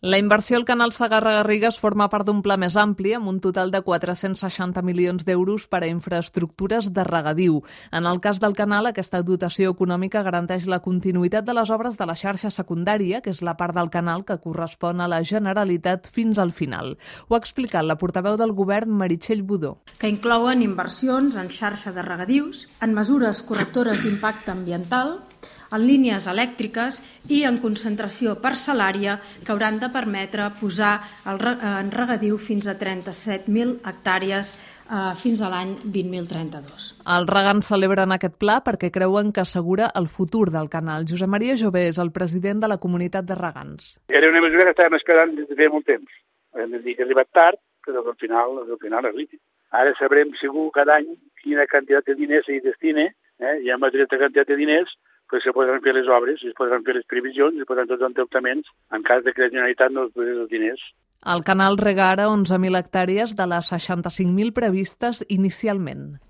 La inversió al canal Segarra-Garrigues forma part d'un pla més ampli amb un total de 460 milions d'euros per a infraestructures de regadiu. En el cas del canal, aquesta dotació econòmica garanteix la continuïtat de les obres de la xarxa secundària, que és la part del canal que correspon a la Generalitat fins al final. Ho ha explicat la portaveu del govern, Meritxell Budó. Que inclouen inversions en xarxa de regadius, en mesures correctores d'impacte ambiental, en línies elèctriques i en concentració parcel·lària que hauran de permetre posar en regadiu fins a 37.000 hectàrees fins a l'any 2032. Els regants celebren aquest pla perquè creuen que assegura el futur del canal. Josep Maria Jové és el president de la comunitat de regants. Era una mesura que estàvem esperant des de feia molt temps. Hem de dir que ha arribat tard, però que al final arribi. Ara sabrem segur cada any quina quantitat de diners s'hi destina, hi ha una quantitat de diners, però se podran fer les obres, es podran fer les previsions, es podran fer els endeutaments en cas que la Generalitat no es posés els diners. El canal rega ara 11.000 hectàrees de les 65.000 previstes inicialment.